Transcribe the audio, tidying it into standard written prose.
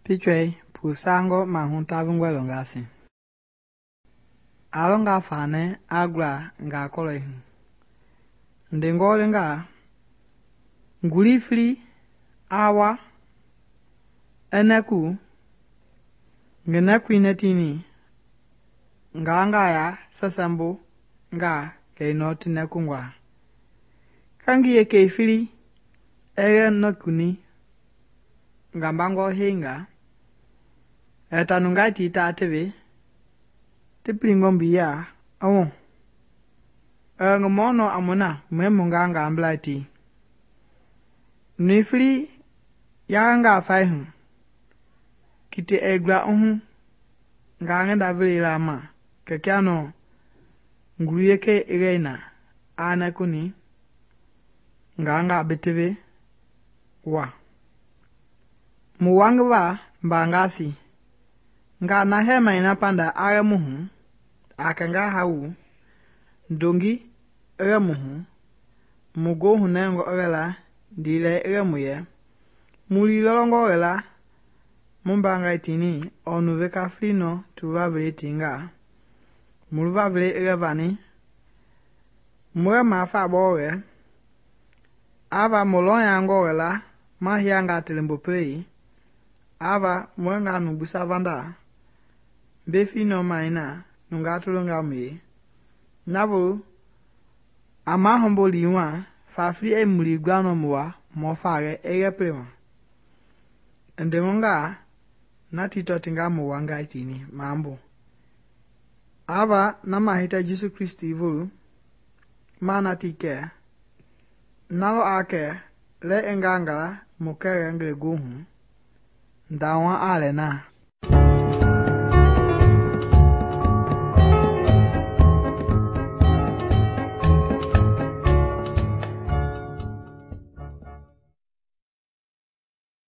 Pichwei pusangɔ mahu tavengɔe lɔngasi. Alɔnga fane agla nga kɔlɔi hu. Ndengɔlenga ngulifli awa eneku ngenekui netini nga ya sesembu nga keinɔ tinekungwa. Kangi ye keifili ege nekuni ngambangɔ henga etanungai ti ta tewe tipilingɔ mbiya ɔmɔ ngumɔnɔ amuna mwemunga ngamblai ti nuifili yanga faihu kite egla uhu nga ngenda vile lama kekiano nguluyeke egeina anekuni nga betewe wa muwangiwa mbangasi nga na hema ina panda age muhu akenga hawu ndongi ege muhu mugo hunengo egela ndile ege muye muli lolongo egela mumbangai tini onu veka flino tuva vile tinga muluva vile ege vani mwe mafa boge ava molonyango egela mahianga telembo play ava mwenga nubusa vanda befi no maina nunga tulunga me nabu ama hombo liwa fafli emuli gbano muwa mofage ege plema ndemonga na tito tinga muwanga tini mambo ava na mahita Jesu Kristi vulu mana tike nalo ake le engangala mukere ngre gohu ndawa ale na